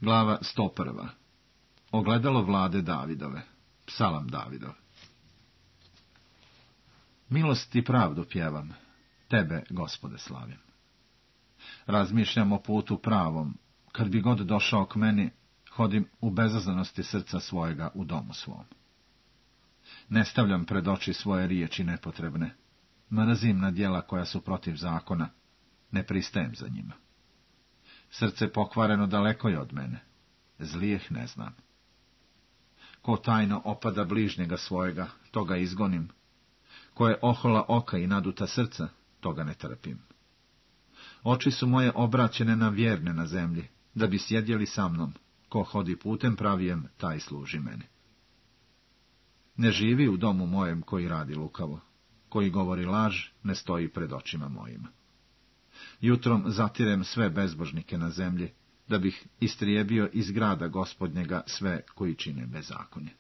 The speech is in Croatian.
Glava 101. Ogledalo vlade Davidove. Psalam Davidov. Milost i pravdu pjevam, tebe, Gospode, slavim. Razmišljam o putu pravom, kad bi god došao k meni, hodim u bezazlenosti srca svojega u domu svom. Ne stavljam pred oči svoje riječi nepotrebne, mrzim na djela koja su protiv zakona, ne pristajem za njima. Srce pokvareno daleko je od mene, zlijeh ne znam. Ko tajno opada bližnjega svojega, toga izgonim. Ko je ohola oka i naduta srca, toga ne trpim. Oči su moje obraćene na vjerne na zemlji, da bi sjedjeli sa mnom. Ko hodi putem pravijem, taj služi meni. Ne živi u domu mojem koji radi lukavo, koji govori laž, ne stoji pred očima mojima. Jutrom zatirem sve bezbožnike na zemlji, da bih istrijebio iz grada Gospodnjega sve koji čine bezakonje.